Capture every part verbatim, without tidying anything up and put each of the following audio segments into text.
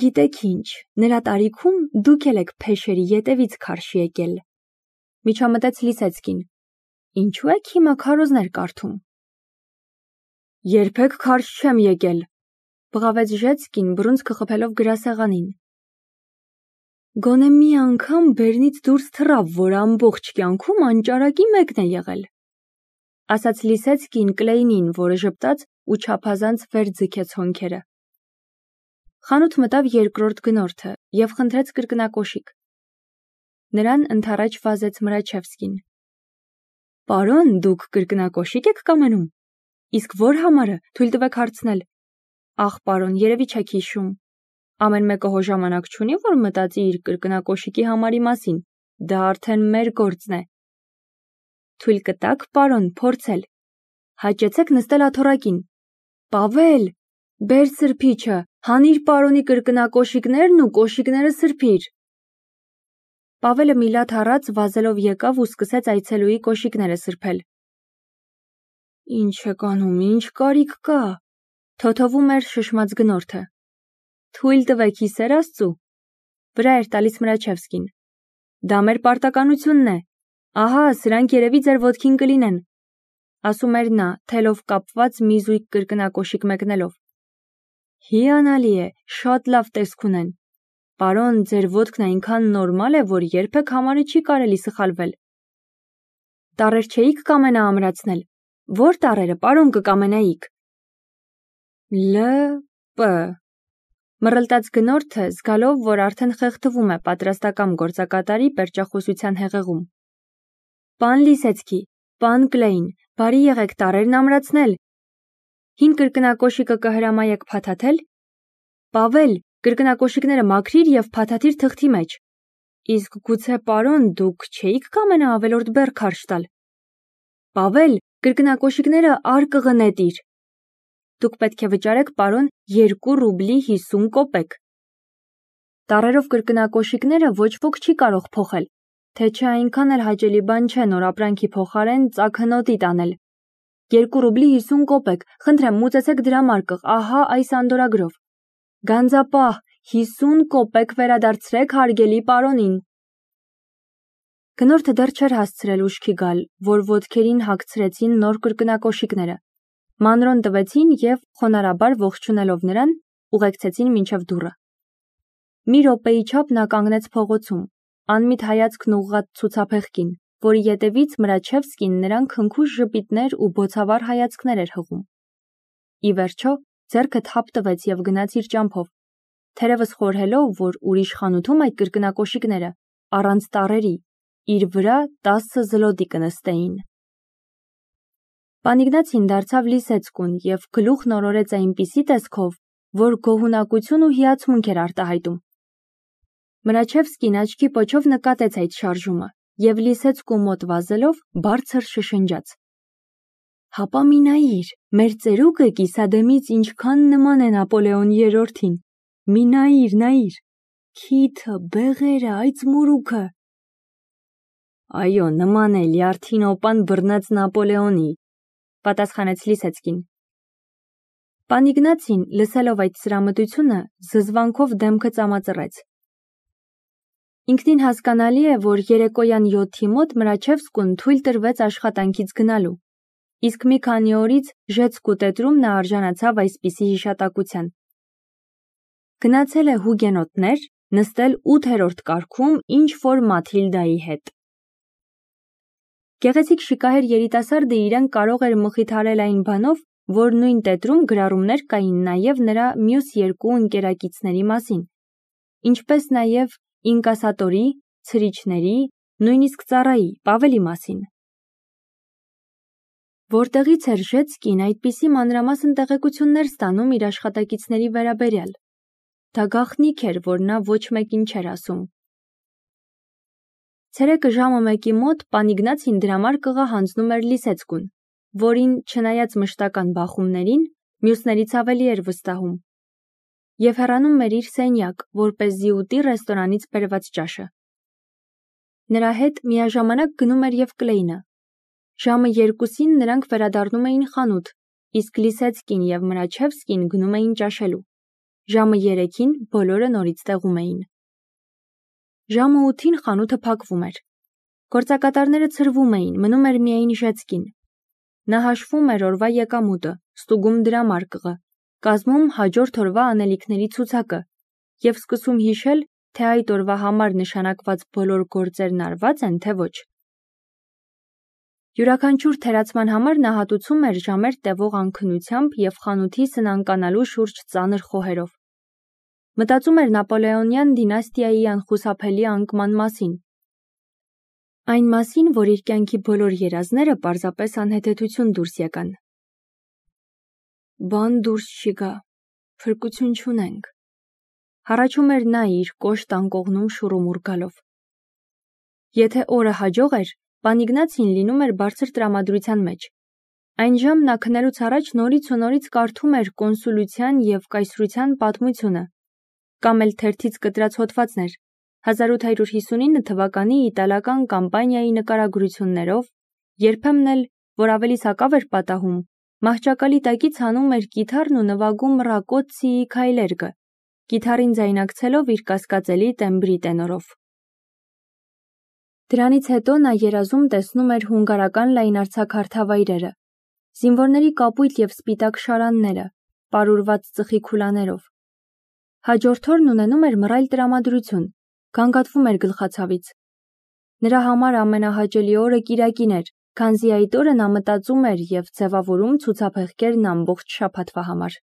Գիտեք ինչ, նրա տարիքում դուք էլ եք փեշերի ետևից քարշ եկել։ Միջամտեց Լիսեցկին։ Ինչու եք հիմա քարոզներ կարդում։ Երբեք քարշ չեմ եկել, բղավեց Ժեցկին բռունցքը խփելով գրասեղանին։ Գոնե մի անգամ բերնից դուրս թռավ, որ ամբողջ կյանքում անճարակի մեկն է եղել, ասաց Լիսեցկին Կլեյնին, որը ժպտաց ու չափազանց վեր ձգեց հոնքերը։ Խանութ մտավ երկրորդ գնորդը և խնդրեց կրկնակոշիկ։ Նրան ընդառաջ վազեց Մրաչևսկին։ Պարոն, դուք կրկնակոշիկ եք կամենում։ Իսկ որ համարը, թույլ տվեք հարցնել։ Ախ, պարոն, երևի չեք հիշում։ Ամեն մեկը հո ժամանակ չունի, որ մտածի իր կրկնակոշիկի համարի մասին։ Դա արդեն մեր գործն է։ Թույլ կտաք, պարոն, փորձել։ Հաճեցեք նստել աթոռակին։ Պավել, բեր սրբիչը, հանիր պարոնի կրկնակոշիկներն ու կոշիկները սրբիր։ Պավելը մի լատ հառած վազելով եկավ ու սկսեց այցելուի կոշիկները սրբել։ Ինչ եք անում, ինչ կարիք կա, թոթովում էր շշմած գնորդը։ Թույլ տվեք հիսեր Աստծու, վրա էր տալիս Մրաչևսկին։ Դա մեր պարտականությունն է։ Ահա, սրանք երևի ձեր ոտքին կլինեն, ասում էր նա, թելով կապված մի զույգ կրկնակոշիկ մեկնելով։ Հիանալի է, շատ լավ տեսք ունեն։ Պարոն, ձեր ոտքն այնքան նորմալ է, որ երբեք համարը չի կարելի սխալվել։ Տառեր չէիք կամենա ամրացնել։ Որ տառերը, պարոն, կկամենայիք։ Լ Պ Մռլտաց գնորդը, զգալով, որ արդեն խեղդվում է պատրաստակամ գործակատարի պերճախոսության հեղեղում։ Պան Լիսեցկի, պան Կլեյն, բարի եղեք տառերն ամրացնել։ Հին կրկնակոշիկը կհրամայեք փաթաթել։ Պավել, կրկնակոշիկները մաքրիր և փաթաթիր թղթի մեջ։ Իսկ գուցե, պարոն, դուք չէիք կամենա ավելորդ բեռ քարշ տալ։ Պավել, կրկնակոշիկները արկղը նետիր։ Դուք պետք է վճարեք, պարոն, երկու ռուբլի հիսուն կոպեկ։ Տառերով կրկնակոշիկները ոչ ոք չի կարող փոխել, թե չէ այնքան էլ հաճելի բան չէ նոր ապրանքի փոխարեն ծագհնոտի տանել։ Երկու ռուբլի հիսուն կոպեկ, խնդրեմ մուծեցեք դրամարկղ, ահա այս անդորագրով։ Գանձապահ, հիսուն կոպեկ վերադարձրեք հարգելի պարոնին։ Գնորդը դեռ չէր հասցրել ուշքի գալ, որ ոտքերին հագցրեցին նոր կրկնակոշիկները։ Մանրոն տվեցին և, խոնարհաբար ողջունելով նրան, ուղեկցեցին մինչև դուռը։ Մի րոպեի չափ նա կանգնեց փողոցում, անմիտ հայացքն ուղղած ցուցափեղկին, որի ետևից Մրաչևսկին նրան քնքուշ ժպիտներ ու բոցավառ հայացքներ էր հղում։ Ի վերջո, ձեռքը թափ տվեց և գնաց իր ճամփով, թերևս խորհելով, որ ուրիշ խանութում այդ կրկնակոշիկները, առանց տառերի, իր վրա տասը զլոտի կնստեին։ Պան Իգնացին դարձավ Լիսեցկուն և գլուխն օրորեց այնպիսի տեսքով, որ գոհունակություն ու հիացմունք էր արտահայտում։ Մրաչևսկին աչքի պոչով նկատեց այդ շարժումը և Լիսեցկու մոտ վազելով բարձր շշնջաց. Հապա մի նայիր, մեր ծերուկը կիսադեմից ինչքան նման է Նապոլեոն երրորդին։ Մի նայիր, նայիր, քիթը, բեղերը, այդ զմուրուքը։ Այո, նման է լյարդին օպան բռնած Նապոլեոնի, պատասխանեց Լիսեցկին։ Պան Իգնացին, լսելով այդ սրամտությունը, զզվանքով դեմքը ծամածռեց։ Ինքնին հասկանալի է, որ երեկոյան յոթի մոտ Մրաչևսկուն թույլ տրվեց աշխատանքից գնալու, իսկ մի քանի օրից Ժեցկու տետրում նա արժանացավ այսպիսի հիշատակության։ Գնացել է հուգենոտներ, նստել ութերորդ կարգում ինչ-որ Մաթիլդայի հետ։ Գեղեցիկ շիկահեր երիտասարդը իրեն կարող էր մխիթարել այն բանով, որ նույն տետրում գրառումներ կային նաև նրա մյուս երկու ընկերակիցների մասին, ինչպես նաև ինկասատորի, ցրիչների, նույնիսկ ծառայի, Պավելի մասին։ Որտեղից էր Ժեցկին այդպիսի մանրամասն տեղեկություններ ստանում իր աշխատակիցների վերաբերյալ։ Դա գաղտնիք էր, որ նա ոչ մեկին չէր ասում։ Ցերեկը ժամը մեկի մոտ պան Իգնացին դրամարկղը հանձնում էր Լիսեցկուն, որին, չնայած մշտական բախումներին, մյուսներից ավելի էր վստահում, և հեռանում էր իր սենյակ, որպեսզի ուտի ռեստորանից բերված ճաշը։ Նրա հետ միաժամանակ գնում էր և Կլեյնը։ Ժամը երկուսին նրանք վերադառնում էին խանութ, իսկ Լիսեցկին և Մրաչևսկին գնում էին ճաշելու։ Ժամը երեքին բոլորը նորից տեղում էին։ Ժամը ութին խանութը փակվում էր։ Գործակատարները ցրվում էին, մնում էր միայն Ժեցկին։ Նա հաշվում էր օրվա եկամուտը, ստուգում դրամարկղը, կազմում հաջորդ օրվա անելիքների ցուցակը և սկսում հիշել, թե այդ օրվա համար նշանակված բոլոր գործերն արված են, թե ոչ։ Յուրաքանչյուր թերացման համար նա հատուցում էր ժամեր տևող անքնությամբ և խանութի սնանկանալու շուրջ ծանր խոհերով։ Մտածում էր Նապոլեոնյան դինաստիայի անխուսափելի անկման մասին։ Այն մասին, որ իր կյանքի բոլոր երազները պարզապես անհեթեթություն դուրս եկան։ Բան դուրս չի գա, փրկություն չունենք։ Հառաչում էր նա իր կոշտ անկողնում շուռումուռ գալով։ Եթե օրը հաջող էր, պան Իգնացին լինում էր բարձր տրամադրության մեջ։ Այն ժամ նա քնելուց առաջ նորից ու նորից կարդում էր կոնսուլության և կայսրության պատմությունը, կամ էլ թերթից կտրած հոդվածներ, հազար ութ հարյուր հիսունինը թվականի իտալական կամպանիայի նկարագրություններով, երբեմն էլ, որ ավելի սակավ էր պատահում, մահճակալի տակից հանում էր կիթառն ու նվագում Ռակոցցիի քայլերգը, կիթառին ձայնակցելով իր կասկածելի տեմբրի տենորով։ Դրանից հետո նա երազում տեսնում էր հունգարական լայնարձակ հարթավայրերը, զինվորների կապույտ և սպիտակ շարանները, պարուրված ծխի քուլաներով։ Հաջորդ օրն ունենում էր մռայլ տրամադրություն, գանգատվում էր գլխացավից։ Նրա համար ամենահաճելի օրը կիրակին էր, քանզի այդ օրը նա մտածում էր և ձևավորում ցուցափեղկերն ամբողջ շաբաթվա համար։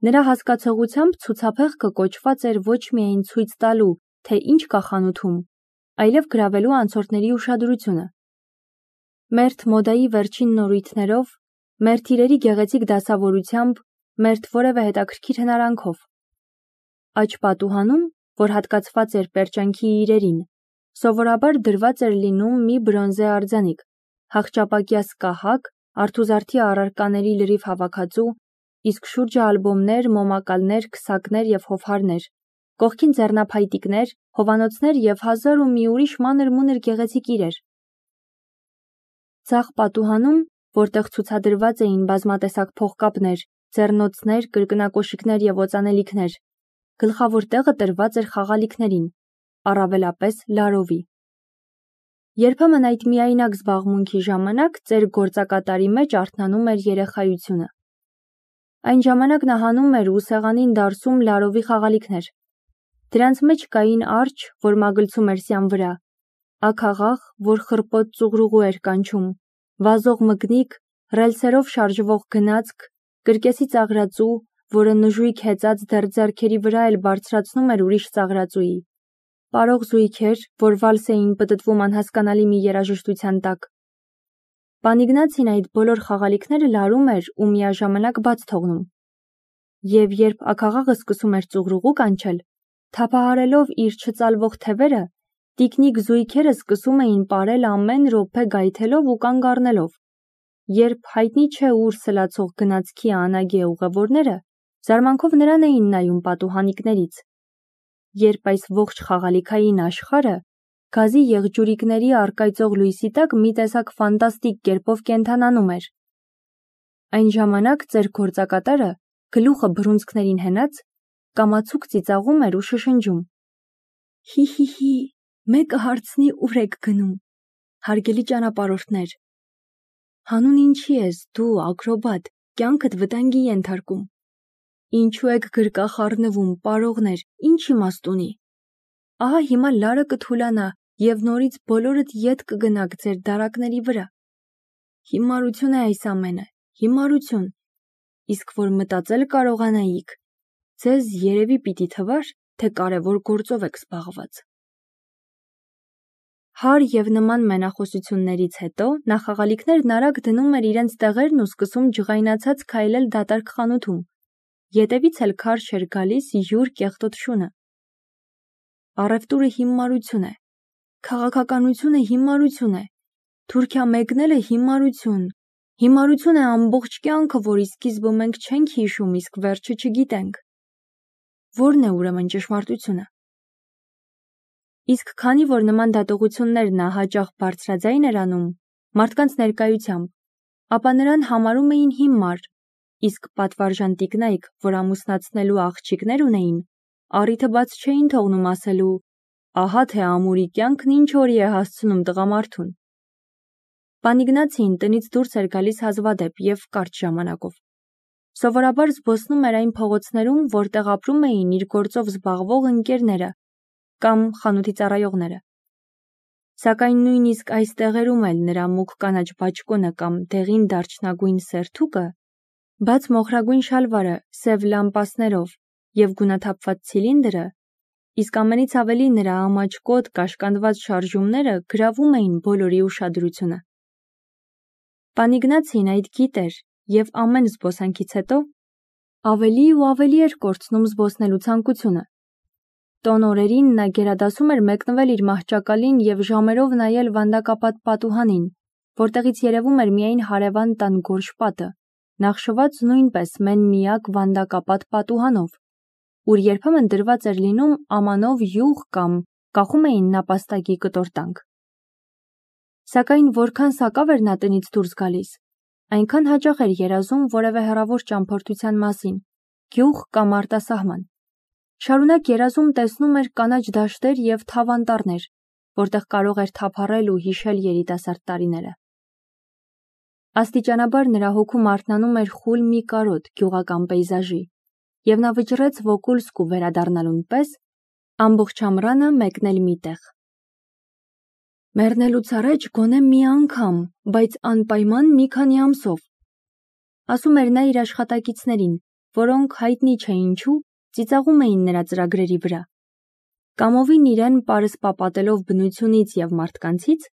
Նրա հասկացողությամբ ցուցափեղկը կոչված էր ոչ միայն ցույց տալու, թե ինչ կա խանութում, այլև գրավելու անցորդների ուշադրությունը։ Մերթ մոդայի վերջին նորույթներով, մերթ իրերի գեղեցիկ դասավորությամբ, մերթ որևէ հետաքրքիր հնարանքով։ Աջ պատուհանում, որ հատկացված էր պերճանքի իրերին, սովորաբար դրված էր լինում մի բրոնզե արձանիկ, հախճապակյա սկահակ, արթուզարդի առարկաների լրիվ հավաքածու, իսկ շուրջը ալբոմներ, մոմակալներ, քսակներ և հովհարներ, կողքին ձեռնափայտիկներ, հովանոցներ և հազար ու մի ուրիշ մանր-մունր գեղեցիկ իրեր։ Ձախ պատուհանում, որտեղ ցուցադրված էին բազմատեսակ փողկապներ, ձեռնոցներ, կրկնակոշիկներ և օծանելիքներ, գլխավոր տեղը տրված էր խաղալիքներին, առավելապես լարովի։ Երբեմն այդ միայնակ զբաղմունքի ժամանակ ծեր գործակատարի մեջ արթնանում էր երեխայությունը։ Այն ժամանակ նա հանում էր ու սեղանին դարսում լարովի խաղալիքներ։ Դրանց մեջ կային արջ, որ մագլցում էր սյան վրա, աքաղաղ, որ խռպոտ ծուղրուղու էր կանչում, վազող մկնիկ, ռելսերով շարժվող գնացք, կրկեսի ծաղրածու, որը նժույգ հեծած դեռ ձեռքերի վրա էլ բարձրացնում էր ուրիշ ծաղրածուի, պարող զույգեր, որ վալս էին պտտվում անհասկանալի մի երաժշտության տակ։ Պան Իգնացին այդ բոլոր խաղալիքները լարում էր ու միաժամանակ բաց թողնում։ Եվ երբ աքաղաղը սկսում էր ծուղրուղու կանչել, թափահարելով իր չծալվող թևերը, տիկնիկ զույգերը սկսում էին պարել ամեն րոպե գայթելով ու կանգ առնելով, երբ հայտնի չէ ուր սլացող գնացքի անագե ուղևորները զարմանքով նրան էին նայում պատուհանիկներից, երբ այս ողջ խաղալիքային աշխարհը գազի եղջյուրիկների առկայծող լույսի տակ մի տեսակ ֆանտաստիկ կերպով կենդանանում էր։ Այն ժամանակ ծեր գործակատարը, գլուխը բռունցքներին հենած, կամացուկ ծիծաղում էր ու շշնջում. «Հի՛֊հի՛֊հի, մեկը հարցնի ուր եք գնում, հարգելի ճանապարհորդներ։ Հանուն ինչի ես դու, ակրոբատ, կյանքդ վտանգի ենթարկում։ Ինչու եք գրկա խառնվում, պարողներ, ինչ իմաստ ունի։ Ահա հիմա լարը կթուլանա և նորից բոլորդ ետ կգնաք ձեր դարակների վրա։ Հիմարություն է այս ամենը, հիմարություն, իսկ որ մտածել կարողանայիք, ձեզ երևի պիտի թվար, թե կարևոր գործով եք զբաղված»։ Հար և նման մենախոսություններից հետո նա խաղալիքներն արագ դնում էր իրենց տեղերն ու սկսում ջղայնացած քայլել դատարկ խանութում, ետևից էլ քարշ էր գալիս յուր կեղտոտ շունը։ Առևտուրը հիմարություն է, քաղաքականությունը հիմարություն է, Թուրքիա մեկնելը հիմարություն, հիմարություն է ամբողջ կյանքը, որի սկիզբը մենք չենք հիշում, իսկ վերջը չգիտենք։ Ո՞րն է ուրեմն ճշմարտությունը։ Իսկ քանի որ նման դատողություններ նա հաճախ բարձրաձայն էր անում մարդկանց ներկայությամբ, ապա նրան համարում էին հիմար, իսկ պատվարժան տիկնայք, որ ամուսնացնելու աղջիկներ ունեին, առիթը բաց չէին թողնում ասելու, ահա թե ամուրի կյանքն ինչ օրի է հասցնում տղամարդուն։ Պան Իգնացին տնից դուրս էր գալիս հազվադեպ և կարճ ժամանակով։ Սովորաբար զբոսնում էր այն փողոցներում, որտեղ ապրում էին իր գործով զբաղվող ընկերները կամ խանութի ծառայողները։ Սակայն նույնիսկ այս տեղերում էլ նրա մուգ կանաչ բաճկոնը կամ դեղին դարչնագույն սերթուկը, բաց մոխրագույն շալվարը սև լամպասներով և գունաթափված ցիլինդրը, իսկ ամենից ավելի նրա ամաչկոտ կաշկանդված շարժումները գրավում էին բոլորի ուշադրությունը։ Պան Իգնացին այդ գիտեր և ամեն զբոսանքից հետո ավելի ու ավելի էր կորցնում զբոսնելու ցանկությունը։ Տոն օրերին նա գերադասում էր մեկնվել իր մահճակալին և ժամերով նայել վանդակապատ պատուհանին, որտեղից երևում էր միայն հարևան տան գորշ պատը, նախշված նույնպես մեն-միակ վանդակապատ պատուհանով, ուր երբեմն դրված էր լինում ամանով յուղ կամ կախում էին նապաստակի կտոր-տանք։ Սակայն որքան սակավ էր նա տնից դուրս գալիս, այնքան հաճախ էր երազում որևէ հեռավոր ճամփորդության մասին, գյուղ կամ արտասահման։ Շարունակ երազում տեսնում էր կանաչ դաշտեր և թավ անտառներ, որտեղ կարող էր թափառել ու հիշել երիտասարդ տարիները։ Աստիճանաբար նրա հոգում արթնանում էր խուլ մի կարոտ գյուղական պեյզաժի, և նա վճռեց Վոկուլսկու վերադառնալուն պես ամբողջ ամռանը մեկնել մի տեղ։ Մեռնելուց առաջ գոնե մի անգամ, բայց անպայման մի քանի ամսով, ասում էր նա իր աշխատակիցներին, որոնք հայտնի չէ ինչու ծիծաղում էին նրա ծրագրերի վրա։ Կամովին իրեն պարսպապատելով բնությունից և մարդկանցից,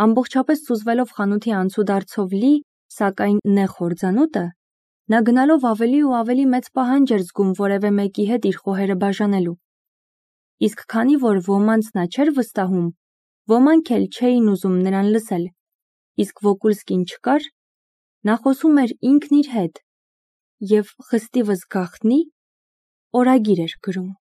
ամբողջապես սուզվելով խանութի անցուդարձով լի, սակայն նեղ հորձանուտը, նա գնալով ավելի ու ավելի մեծ պահանջ էր զգում որևէ մեկի հետ իր խոհերը բաժանելու։ Իսկ քանի որ ոմանց նա չէր վստահում, ոմանք էլ չէին ուզում նրան լսել, իսկ Վոկուլսկին չկար, նա խոսում էր ինքն իր հետ և խստիվս գաղտնի օրագիր էր գրում։